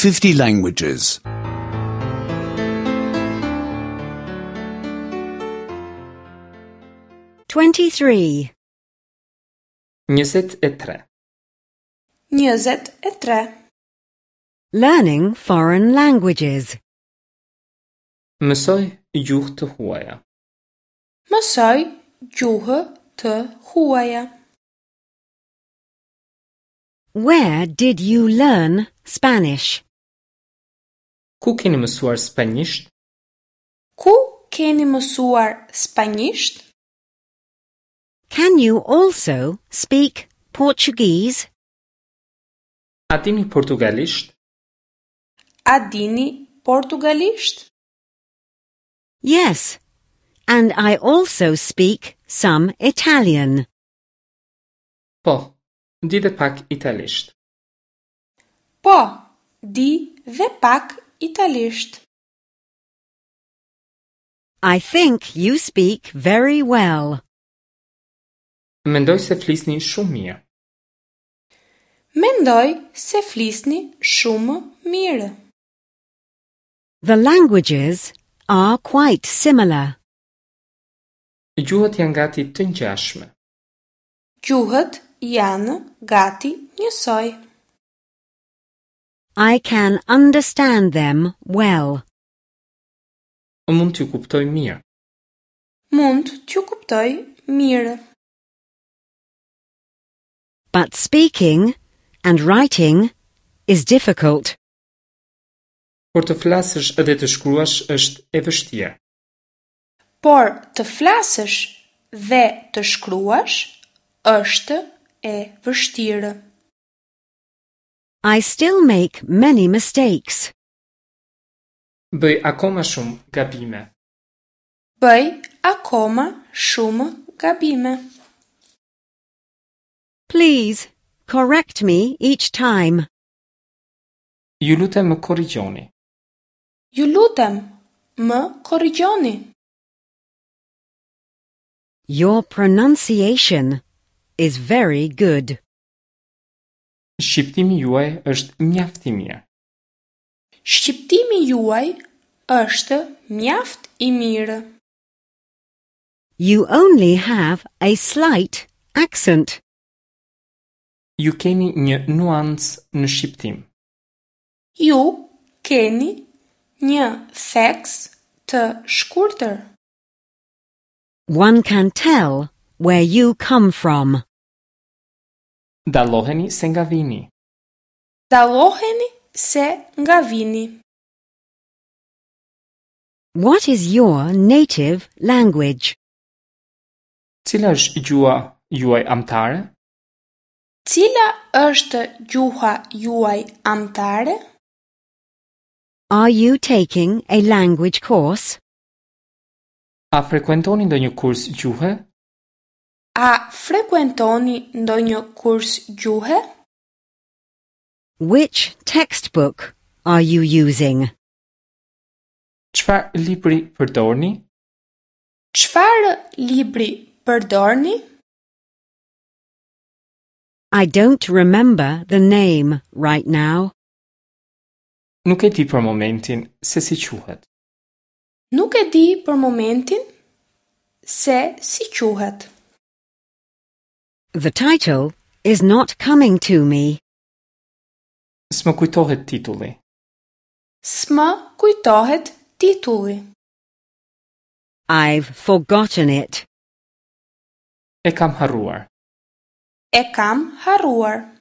50 languages. 23. 23. 23. Learning foreign languages. Mësoj gjuhë të huaja. Mësoj gjuhë të huaja. Where did you learn Spanish? Ku keni mësuar spanjisht? Ku keni mësuar spanjisht? Can you also speak Portuguese? A dini portugalisht? A dini portugalisht? Yes, and I also speak some Italian. Po, di dhe pak italisht. Po, di dhe pak italisht. I think you speak very well. Mendoj se flisni shumë mirë. Mendoj se flisni shumë mirë. The languages are quite similar. Gjuhët janë gati të ngjashme. Gjuhët janë gati njësoj. I can understand them well. Mund t'ju kuptoj mirë. Mund t'ju kuptoj mirë. But speaking and writing is difficult. Por të flasësh dhe të shkruash është e vështirë. Por të flasësh dhe të shkruash është e vështirë. I still make many mistakes. Bëj akoma shumë gabime. Bëj akoma shumë gabime. Please correct me each time. Ju lutem më korrigjoni. Ju lutem, më korrigjoni. Your pronunciation is very good. Shqiptimi juaj është mjaft i mirë. Shqiptimi juaj është mjaft i mirë. You only have a slight accent. Ju keni një nuancë në shqiptim. Ju keni një theks të shkurtër. One can tell where you come from. Dalloheni se nga vini. Dalloheni se nga vini. What is your native language? Cila është gjuha juaj amtare? Cila është gjuha juaj amtare? Are you taking a language course? A frekuentoni ndonjë kurs gjuhe? A frekuentoni ndonjë kurs gjuhe? Which textbook are you using? Çfarë libri përdorni? Çfarë libri përdorni? I don't remember the name right now. Nuk e di për momentin se si quhet. Nuk e di për momentin se si quhet. The title is not coming to me. S'më kujtohet titulli. S'më kujtohet titulli. I've forgotten it. E kam harruar. E kam harruar.